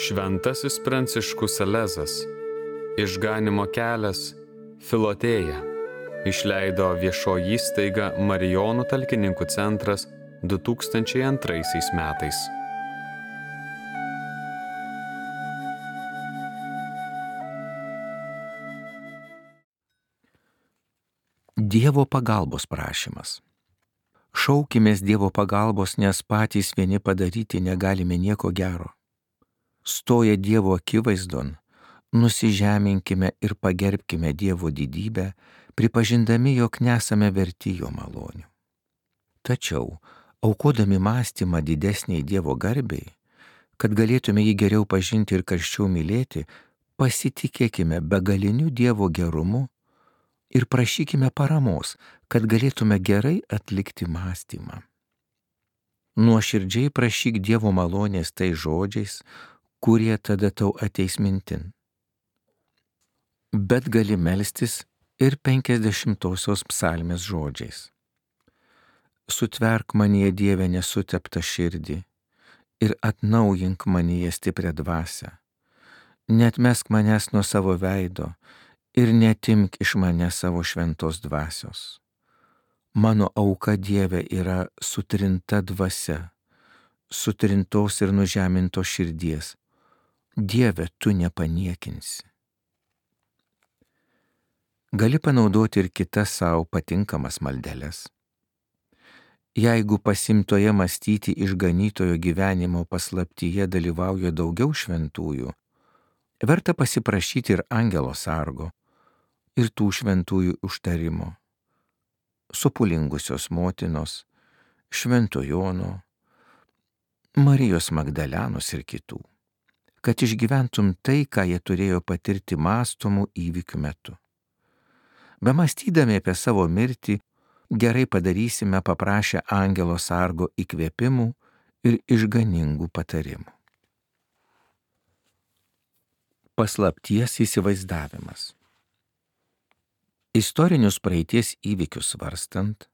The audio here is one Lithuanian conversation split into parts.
Šventasis Pranciškus Salezas, Išganymo kelias, Filotėja, išleido viešoji įstaiga Marijonų talkininkų centras 2002 metais. Dievo pagalbos prašymas. Šaukimės Dievo pagalbos, nes patys vieni padaryti negalime nieko gero. Stoję Dievo akivaizdon, nusižeminkime ir pagerbkime Dievo didybę, pripažindami, jog nesame verti jo malonių. Tačiau, aukodami mąstymą didesniai Dievo garbei, kad galėtume jį geriau pažinti ir karščiau mylėti, pasitikėkime begaliniu Dievo gerumu ir prašykime paramos, kad galėtume gerai atlikti mąstymą. Nuoširdžiai prašyk Dievo malonės tais žodžiais, kurie tada tau ateis mintin. Bet gali melstis ir 50-osios psalmės žodžiais. Sutverk manyje, Dieve, nesuteptą širdį ir atnaujink manyje stiprią dvasią. Neatmesk manęs nuo savo veido ir netimk iš manęs savo šventos dvasios. Mano auka, Dieve, yra sutrinta dvasia, sutrintos ir nužemintos širdies. Dieve, tu nepaniekinsi. Gali panaudoti ir kitas savo patinkamas maldeles. Jeigu pasimtoje mąstyti išganytojo gyvenimo paslaptyje dalyvauja daugiau šventųjų, verta pasiprašyti ir angelo sargo, ir tų šventųjų užtarimo, sopulingusios motinos, Švento Jono, Marijos Magdalenos ir kitų, kad išgyventum tai, ką jie turėjo patirti mąstomų įvykių metu. Bemąstydami apie savo mirtį, gerai padarysime paprašę angelo sargo įkvėpimų ir išganingų patarimų. Paslapties įsivaizdavimas. Istorinius praeities įvykius svarstant,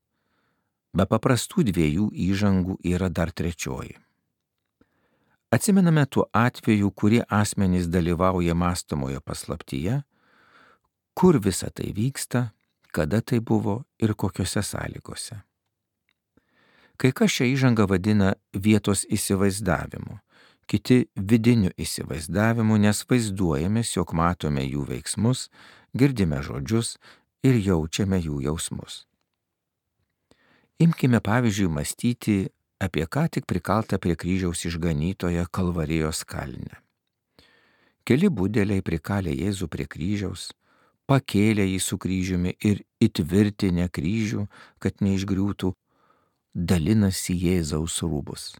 be paprastų dviejų įžangų yra dar trečioji. Atsimename tuo atveju, kurie asmenys dalyvauja mąstomoje paslaptyje, kur visa tai vyksta, kada tai buvo ir kokiose sąlygose. Kai kas šią įžangą vadina vietos įsivaizdavimu, kiti vidiniu įsivaizdavimu, nes vaizduojamės, jog matome jų veiksmus, girdime žodžius ir jaučiame jų jausmus. Imkime pavyzdžiui mąstyti apie ką tik prikaltą prie kryžiaus išganytoją Kalvarijos kalne. Keli budeliai prikalė Jėzų prie kryžiaus, pakėlė jį su kryžiumi ir įtvirtinę kryžių, kad neišgriūtų, dalinasi Jėzaus rūbus.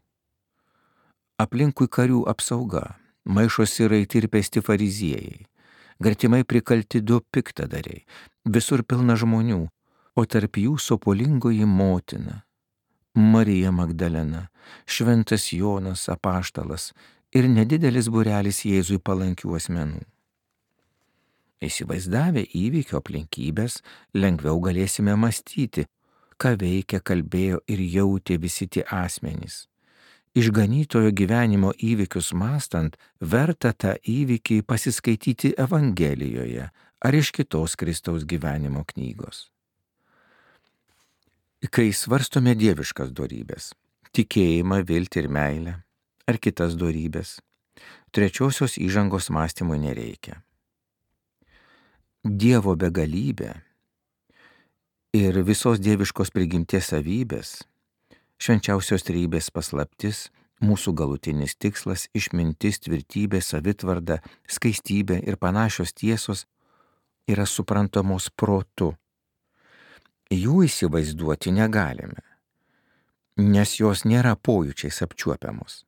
Aplinkui karių apsauga, maišosi raiti ir pesti fariziejai, gretimai prikalti 2 piktadariai, visur pilna žmonių, o tarp jų sopulingoji motina, Marija Magdalena, Šventas Jonas apaštalas ir nedidelis būrelis Jėzui palankių asmenų. Įsivaizdavę įvykio aplinkybės, lengviau galėsime mąstyti, ką veikia, kalbėjo ir jautė visi tie asmenys. Išganytojo gyvenimo įvykius mąstant, verta tą įvykį pasiskaityti Evangelijoje ar iš kitos Kristaus gyvenimo knygos. Kai svarstome dieviškas dorybės, tikėjimą, viltį ir meilę, ar kitas dorybės, trečiosios įžangos mąstymui nereikia. Dievo begalybė ir visos dieviškos prigimties savybės, švenčiausios trejybės paslaptis, mūsų galutinis tikslas, išmintis, tvirtybė, savitvarda, skaistybė ir panašios tiesos yra suprantamos protu. Jų įsivaizduoti negalime, nes jos nėra pojūčiais apčiuopiamos.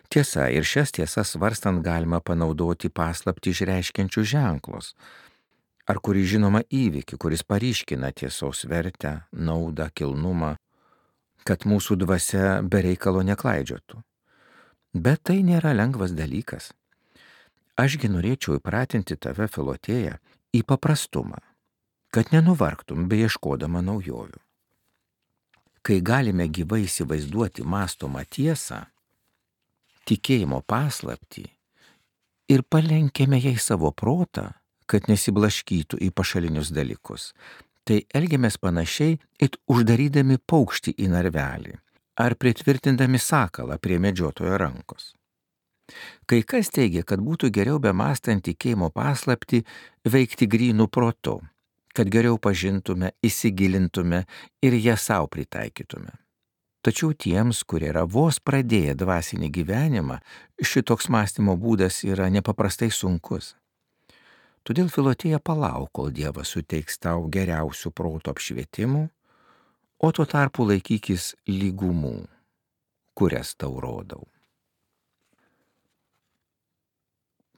Tiesa, ir šias tiesas svarstant galima panaudoti paslaptį išreiškiančius ženklus, ar kurį žinoma įvykį, kuris paryškina tiesos vertę, naudą, kilnumą, kad mūsų dvasia be reikalo neklaidžiotų. Bet tai nėra lengvas dalykas. Ašgi norėčiau įpratinti tave, Filotėja, į paprastumą, kad nenuvargtum beieškodama naujovių. Kai galime gyvai įsivaizduoti mąstomą tiesą, tikėjimo paslaptį ir palenkėme jai savo protą, kad nesiblaškytų į pašalinius dalykus, tai elgiamės panašiai, it uždarydami paukštį į narvelį ar pritvirtindami sakalą prie medžiotojo rankos. Kai kas teigia, kad būtų geriau bemąstant tikėjimo paslaptį veikti grynų protu, kad geriau pažintume, įsigilintume ir ją savo pritaikytume. Tačiau tiems, kurie yra vos pradėję dvasinį gyvenimą, šitoks mąstymo būdas yra nepaprastai sunkus. Todėl Filotėja palauk, kol Dievas suteiks tau geriausių proto apšvietimų, o tuo tarpu laikykis lygumų, kurias tau rodau.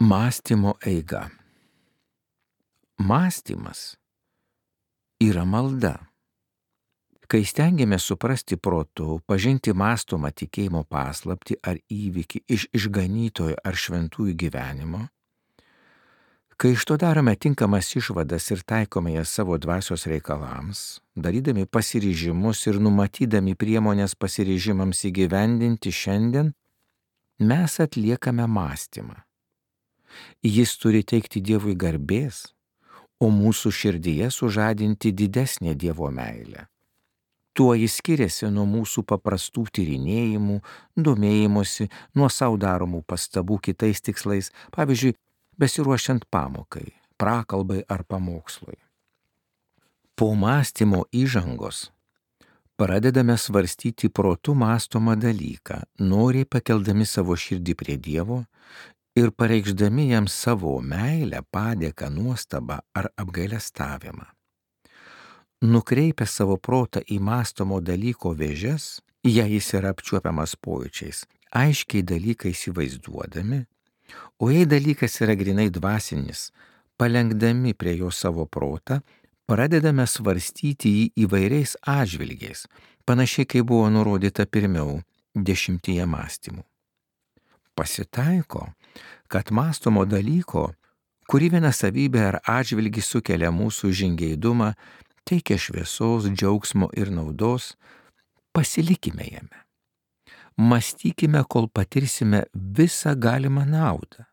Mąstymo eiga. Mąstymas yra malda. Kai stengiamės suprasti protu, pažinti mąstomą tikėjimo paslaptį ar įvykį iš išganytojo ar šventųjų gyvenimo, kai iš to darome tinkamas išvadas ir taikome jas savo dvasios reikalams, darydami pasiryžimus ir numatydami priemonės pasiryžimams įgyvendinti šiandien, mes atliekame mąstymą. Jis turi teikti Dievui garbės, o mūsų širdyje sužadinti didesnę Dievo meilę. Tuo jis skiriasi nuo mūsų paprastų tyrinėjimų, domėjimosi, nuo savo daromų pastabų kitais tikslais, pavyzdžiui, besiruošiant pamokai, prakalbai ar pamokslui. Po mąstymo įžangos pradedame svarstyti protu mąstomą dalyką, noriai pakeldami savo širdį prie Dievo ir pareikšdami jam savo meilę, padėką, nuostabą ar apgailestavimą. Nukreipę savo protą į mąstomo dalyko vėžes, jei jis yra apčiuopiamas pojūčiais, aiškiai dalyką įsivaizduodami, o jei dalykas yra grinai dvasinis, palenkdami prie jo savo protą, pradedame svarstyti jį įvairiais atžvilgiais, panašiai kaip buvo nurodyta pirmiau 10 mąstymų. Pasitaiko, kad mąstomo dalyko, kuri viena savybė ar atžvilgis sukelia mūsų žingeidumą, teikia šviesos, džiaugsmo ir naudos, pasilikime jame. Mąstykime, kol patirsime visą galimą naudą.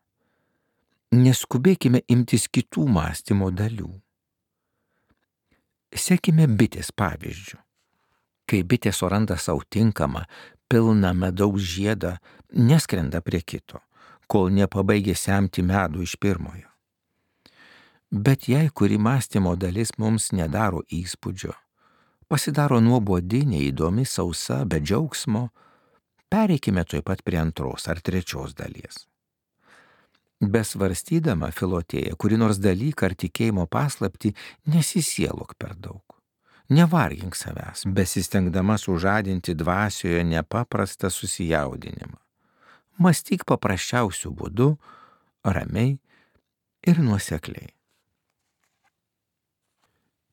Neskubėkime imtis kitų mąstymo dalių. Sekime bitės pavyzdžiu. Kai bitė suranda savo tinkamą, pilną medaus žiedą, neskrenda prie kito, kol nepabaigė semti medų iš pirmojo. Bet jei kuri mąstymo dalis mums nedaro įspūdžio, pasidaro nuobodi, neįdomi, sausa, be džiaugsmo, pereikime tuoj pat prie antros ar trečios dalies. Besvarstydama Filotėja kuri nors dalyką ar tikėjimo paslaptį, nesisielok per daug. Nevargink savęs, besistengdama sužadinti dvasioje nepaprastą susijaudinimą. Mąstyk paprasčiausių būdų, ramiai ir nuosekliai.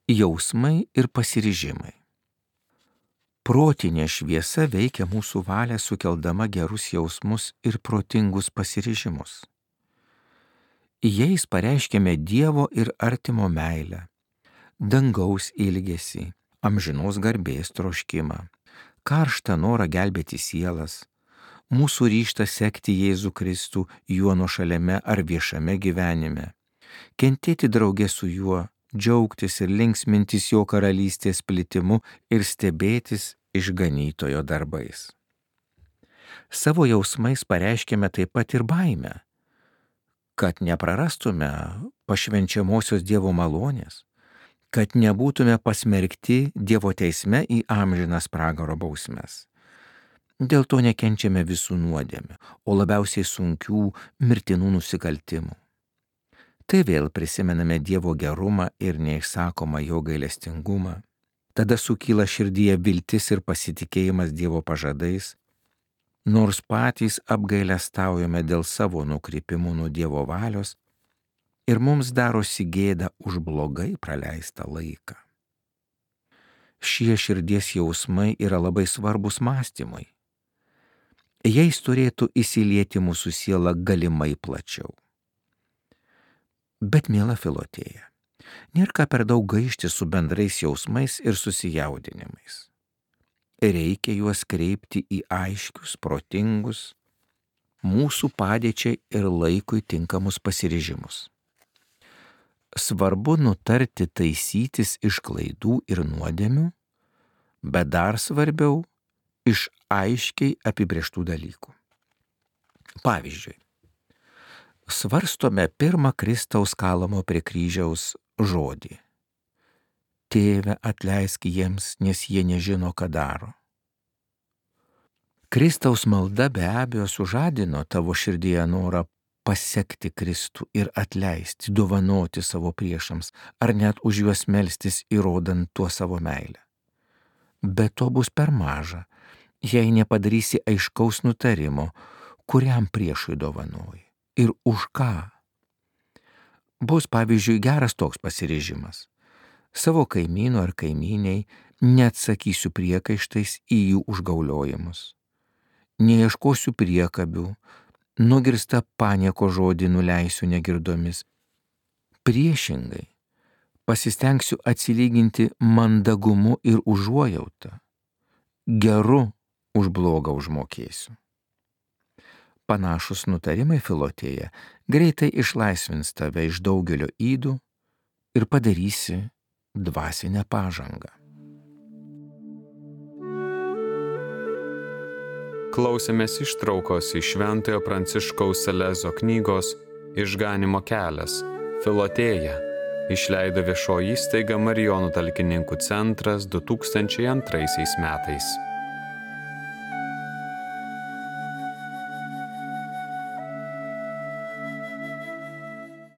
Jausmai ir pasiryžimai. Protinė šviesa veikia mūsų valią sukeldama gerus jausmus ir protingus pasiryžimus. Jais pareiškiame Dievo ir artimo meilę, dangaus ilgesį, amžinos garbės troškimą, karštą norą gelbėti sielas, mūsų ryžtą sekti Jėzų Kristų juo nuošaliame ar viešame gyvenime, kentėti drauge su juo, džiaugtis ir linksmintis jo karalystės plitimu ir stebėtis išganytojo darbais. Savo jausmais pareiškėme taip pat ir baimę, kad neprarastume pašvenčiamosios Dievo malonės, kad nebūtume pasmerkti Dievo teisme į amžinas pragaro bausmes. Dėl to nekenčiame visų nuodėmių, o labiausiai sunkių mirtinų nusikaltimų. Tai vėl prisimename Dievo gerumą ir neišsakomą jo gailestingumą. Tada sukyla širdyje viltis ir pasitikėjimas Dievo pažadais, nors patys apgailestaujame dėl savo nukrypimų nuo Dievo valios ir mums darosi gėda už blogai praleistą laiką. Šie širdies jausmai yra labai svarbus mąstymui. Jais turėtų įsilieti mūsų siela galimai plačiau. Bet, miela Filotėja, nėra ką per daug gaišti su bendrais jausmais ir susijaudinimais. Reikia juos kreipti į aiškius, protingus, mūsų padėčiai ir laikui tinkamus pasiryžimus. Svarbu nutarti taisytis iš klaidų ir nuodėmių, bet dar svarbiau iš aiškiai apibrėžtų dalykų. Pavyzdžiui, svarstome pirmą Kristaus kalamo prie kryžiaus žodį. Tėve, atleisk jiems, nes jie nežino, ką daro. Kristaus malda be abejo sužadino tavo širdyje norą pasekti Kristų ir atleisti, dovanoti savo priešams, ar net už juos melstis, įrodant tuo savo meilę. Bet to bus per maža, jei nepadarysi aiškaus nutarimo, kuriam priešui dovanoji ir už ką. Bus pavyzdžiui geras toks pasiryžimas. Savo kaimynų ar kaimyniai neatsakysiu priekaištais į jų užgauliojimus. Neieškosiu priekabių, nugirstą panieko žodį nuleisiu negirdomis. Priešingai, pasistengsiu atsilyginti mandagumu ir užuojautą. Geru už blogą užmokėsiu. Panašus nutarimai Filotėje greitai išlaisvins tave iš daugelio ydų ir padarysi dvasinę pažangą. Klausėmės ištraukos iš Šventojo Pranciškaus Salezo knygos Išganymo kelias – Filotėja, išleido viešoji įstaiga Marijonų talkininkų centras 2002 metais.